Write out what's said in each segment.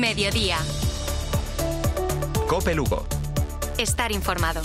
Mediodía. COPE Lugo. Estar informado.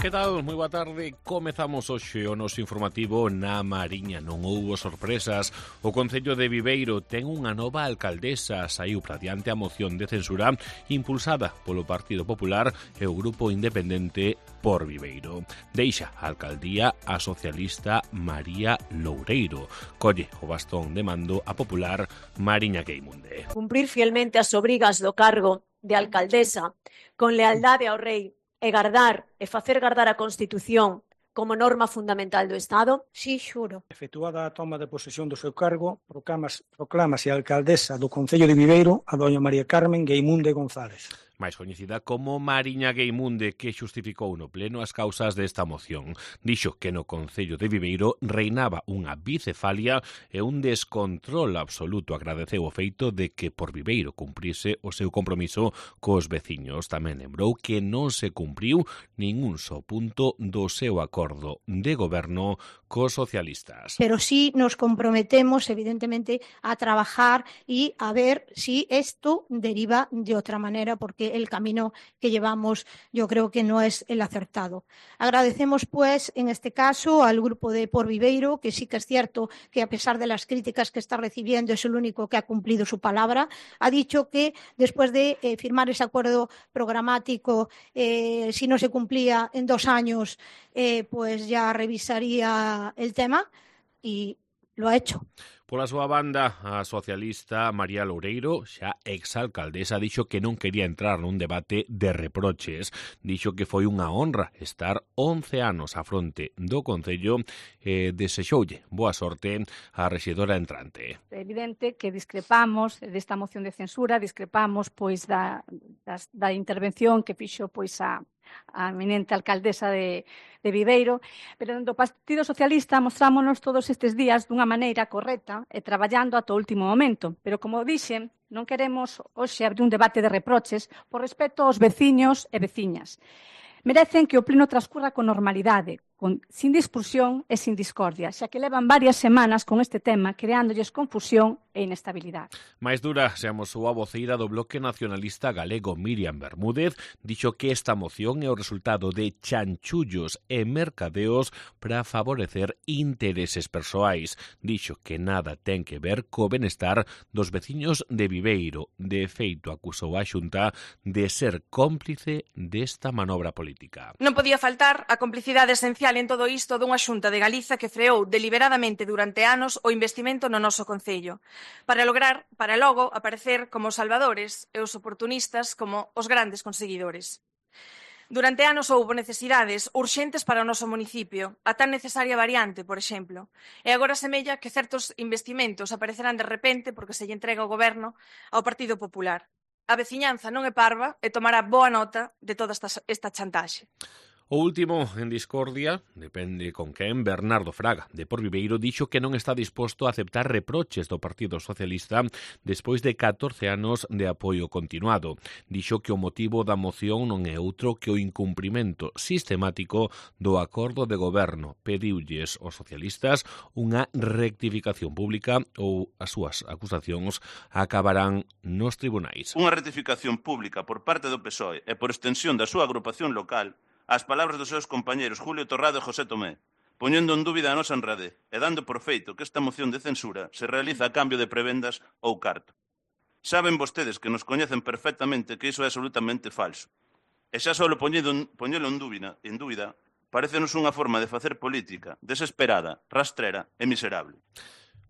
Que tal? Moi boa tarde. Comezamos hoxe o noso informativo na Mariña. Non houbo sorpresas. O Concello de Viveiro ten unha nova alcaldesa. Saiu para diante a moción de censura impulsada polo Partido Popular e o Grupo Independente por Viveiro. Deixa a alcaldía a socialista María Loureiro. Colle o bastón de mando a popular Mariña Gueimunde. Cumprir fielmente as obrigas do cargo de alcaldesa con lealdade ao rei e gardar e facer gardar a Constitución como norma fundamental do Estado? Si, xuro. Efectuada a toma de posesión do seu cargo, proclámase a alcaldesa do Concello de Viveiro a doña María Carmen Gueimunde González. máis coñecida como Mariña Gueimunde, que xustificou no pleno as causas desta moción. Dixo que no Concello de Viveiro reinaba unha bicefalia e un descontrol absoluto. Agradeceu o feito de que por Viveiro cumprise o seu compromiso cos veciños. Tamén lembrou que non se cumpriu ningún só punto do seu acordo de goberno cos socialistas. Pero sí nos comprometemos, evidentemente, a trabajar y a ver si esto deriva de otra manera, porque el camino que llevamos yo creo que no es el acertado. Agradecemos, pues, en este caso al grupo de Por Viveiro, que sí que es cierto que a pesar de las críticas que está recibiendo es el único que ha cumplido su palabra. Ha dicho que después de firmar ese acuerdo programático, si no se cumplía en 2 años, pues ya revisaría el tema y lo ha hecho. Pola súa banda, a socialista María Loureiro, xa exalcaldesa, dixo que non quería entrar nun debate de reproches. Dixo que foi unha honra estar 11 anos á fronte do Concello e desexoulle boa sorte á rexedora entrante. É evidente que discrepamos desta moción de censura, discrepamos pois da intervención que fixo pois a eminente alcaldesa de Viveiro, pero do Partido Socialista mostrámonos todos estes días dunha maneira correcta e traballando ata o último momento. Pero, como dixen, non queremos hoxe abrir un debate de reproches por respeto aos veciños e veciñas. Merecen que o pleno transcurra con normalidade, sin discusión e sin discordia, xa que levan varias semanas con este tema creándolles confusión e inestabilidade. Mais dura se amosou a voceira do Bloque Nacionalista Galego, Miriam Bermúdez, dixo que esta moción é o resultado de chanchullos e mercadeos para favorecer intereses persoais. Dixo que nada ten que ver co benestar dos veciños de Viveiro. De feito, acusou a Xunta de ser cómplice desta manobra política. Non podía faltar a complicidade esencial en todo isto dunha Xunta de Galiza que freou deliberadamente durante anos o investimento no noso concello, para logo aparecer como os salvadores e os oportunistas como os grandes conseguidores. Durante anos houbo necesidades urxentes para o noso municipio, a tan necesaria variante, por exemplo, e agora semella que certos investimentos aparecerán de repente porque se lle entrega o goberno ao Partido Popular. A veciñanza non é parva e tomará boa nota de toda esta chantaxe. O último en discordia, depende con quen, Bernardo Fraga, de Por Viveiro, dixo que non está disposto a aceptar reproches do Partido Socialista despois de 14 anos de apoio continuado. Dixo que o motivo da moción non é outro que o incumprimento sistemático do acordo de goberno. Pediulles aos socialistas unha rectificación pública ou as súas acusacións acabarán nos tribunais. Unha rectificación pública por parte do PSOE e por extensión da súa agrupación local as palabras dos seus compañeros Julio Torrado e José Tomé, poñendo en dúbida a nosa honradez e dando por feito que esta moción de censura se realiza a cambio de prebendas ou carto. Saben vostedes que nos coñecen perfectamente que iso é absolutamente falso. E xa só poñelo en dúbida, parécenos unha forma de facer política desesperada, rastrera e miserable.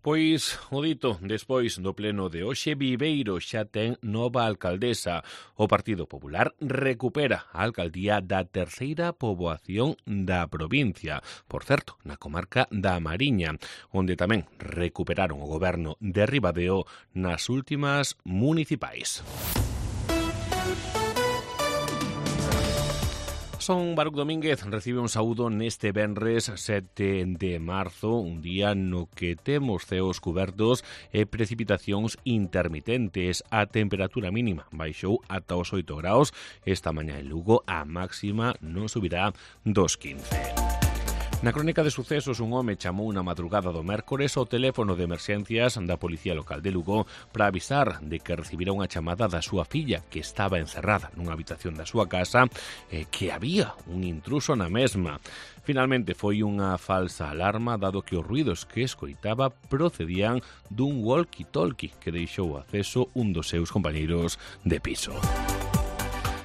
Pois, o dito, despois do pleno de hoxe, Viveiro xa ten nova alcaldesa. O Partido Popular recupera a alcaldía da terceira poboación da provincia, por certo, na comarca da Mariña, onde tamén recuperaron o goberno de Ribadeo nas últimas municipais. Son Baruc Domínguez recibe un saúdo neste venres 7 de marzo, un día no que temos ceos cubertos e precipitacións intermitentes. A temperatura mínima baixou ata os 8 graus. Esta mañá en Lugo a máxima non subirá dos 15. Na crónica de sucesos, un home chamou na madrugada do mércores ao teléfono de emerxencias da Policía Local de Lugo para avisar de que recibira unha chamada da súa filla, que estaba encerrada nunha habitación da súa casa, que había un intruso na mesma. Finalmente foi unha falsa alarma, dado que os ruidos que escoitaba procedían dun walkie-talkie que deixou acceso un dos seus compañeiros de piso.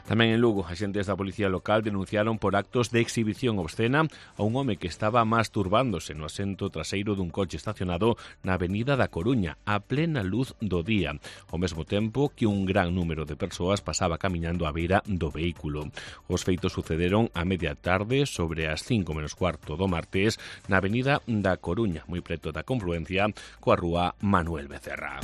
Tamén en Lugo, axentes da Policía Local denunciaron por actos de exhibición obscena a un home que estaba masturbándose no asento traseiro dun coche estacionado na Avenida da Coruña, a plena luz do día, ao mesmo tempo que un gran número de persoas pasaba camiñando á beira do vehículo. Os feitos sucederon a media tarde sobre as 5:15 do martes na Avenida da Coruña, moi preto da confluencia coa rúa Manuel Becerra.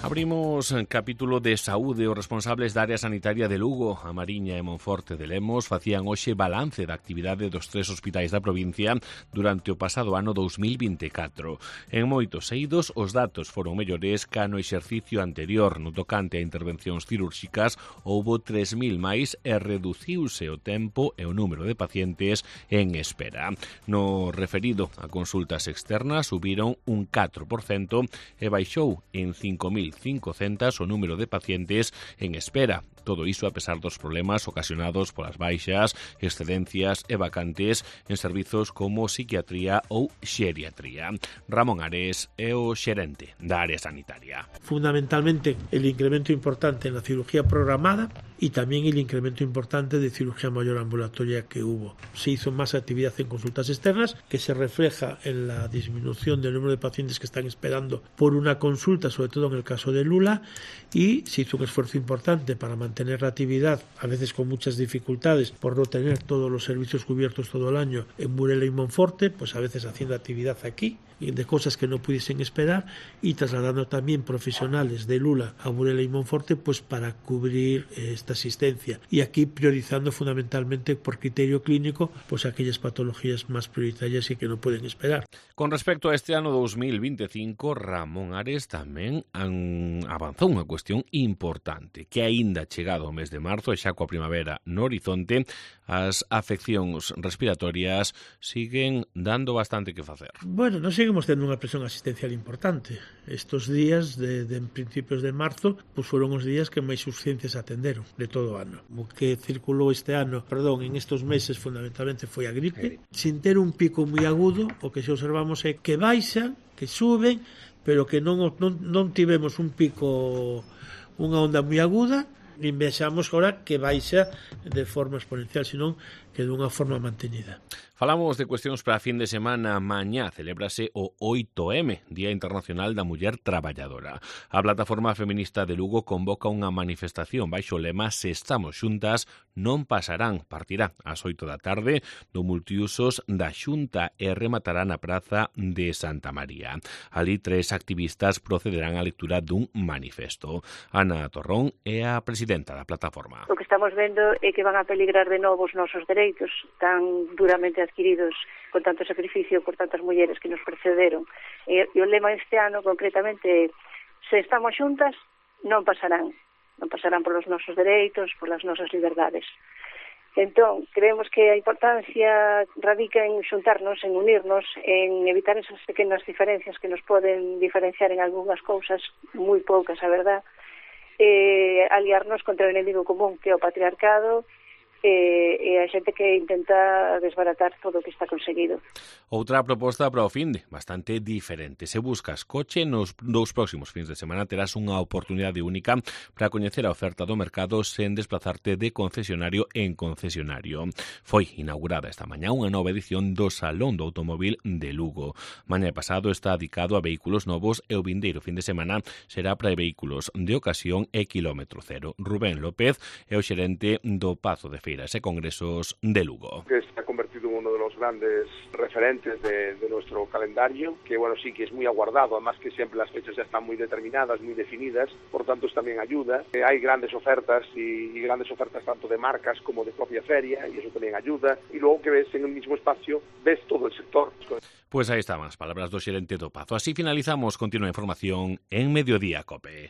Abrimos capítulo de saúde. Os responsables da área sanitaria de Lugo, A Mariña e Monforte de Lemos facían hoxe balance da actividade dos 3 hospitais da provincia durante o pasado ano 2024. En moitos eidos, os datos foron mellores ca no exercicio anterior. No tocante a intervencións cirúrxicas, houbo 3.000 máis e reduciuse o tempo e o número de pacientes en espera. No referido a consultas externas, subiron un 4% e baixou en 5.500 o número de pacientes en espera. Todo iso a pesar dos problemas ocasionados polas baixas, excedencias e vacantes en servizos como psiquiatría ou xeriatría. Ramón Ares é o xerente da área sanitaria. Fundamentalmente el incremento importante en la cirugía programada y también el incremento importante de cirugía mayor ambulatoria que hubo. Se hizo más actividad en consultas externas, que se refleja en la disminución del número de pacientes que están esperando por una consulta, sobre todo en el caso de Lula, y se hizo un esfuerzo importante para mantener la actividad, a veces con muchas dificultades por no tener todos los servicios cubiertos todo el año en Burela y Monforte, pues a veces haciendo actividad aquí de cosas que no pudiesen esperar y trasladando también profesionales de Lula a Burela y Monforte pues para cubrir esta asistencia, y aquí priorizando fundamentalmente por criterio clínico pues aquellas patologías más prioritarias y que no pueden esperar. Con respecto a este ano 2025, Ramón Ares tamén avanzou unha cuestión importante, que aínda chegado o mes de marzo e xa coa primavera no horizonte, as afeccións respiratorias siguen dando bastante que facer. Bueno, non seguimos tendo unha presión asistencial importante. Estos días de principios de marzo pues foron os días que máis urxencias atenderon de todo o ano. O que circulou este ano, en estos meses fundamentalmente foi a gripe, sin ter un pico moi agudo. O que se observamos é que baixan, que suben, pero que non tivemos un pico, unha onda moi aguda, nin vexamos agora que baixa de forma exponencial, senón que dunha forma mantenida. Falamos de cuestións para a fin de semana. Mañá celébrase o 8M, Día Internacional da Muller Traballadora. A plataforma feminista de Lugo convoca unha manifestación baixo o lema "Se estamos xuntas, non pasarán". Partirá ás 8 da tarde do multiusos da Xunta e rematará na praza de Santa María. Ali 3 activistas procederán á lectura dun manifesto. Ana Torrón é a presidenta da plataforma. O que estamos vendo é que van a peligrar de novo os nosos dereitos tan duramente adquiridos con tanto sacrificio por tantas mulleres que nos precederon. E o lema este ano concretamente é "Se estamos xuntas, non pasarán polos nosos dereitos, polas nosas liberdades". Entón, creemos que a importancia radica en xuntarnos, en unirnos, en evitar esas pequenas diferencias que nos poden diferenciar en algunhas cousas, moi poucas, a verdad, aliarnos contra o enemigo común que é o patriarcado, e a xente que intenta desbaratar todo o que está conseguido. Outra proposta para o finde, bastante diferente. Se buscas coche, nos 2 próximos fins de semana terás unha oportunidade única para coñecer a oferta do mercado sen desplazarte de concesionario en concesionario. Foi inaugurada esta mañá unha nova edición do Salón do Automóvil de Lugo. Mañá pasado está dedicado a vehículos novos e o vindeiro fin de semana será para vehículos de ocasión e kilómetro cero. Rubén López é o xerente do Pazo de Feiras e Congresos de Lugo. Que se ha convertido en uno de los grandes referentes de nuestro calendario, que bueno, sí que es muy aguardado, además que siempre las fechas ya están muy determinadas, muy definidas, por tanto eso también ayuda. Hay grandes ofertas y grandes ofertas tanto de marcas como de propia feria, y eso también ayuda. Y luego que ves en el mismo espacio, ves todo el sector. Pues ahí estaban as palabras do xerente do Pazo. Así finalizamos. Continúa a información en Mediodía Cope.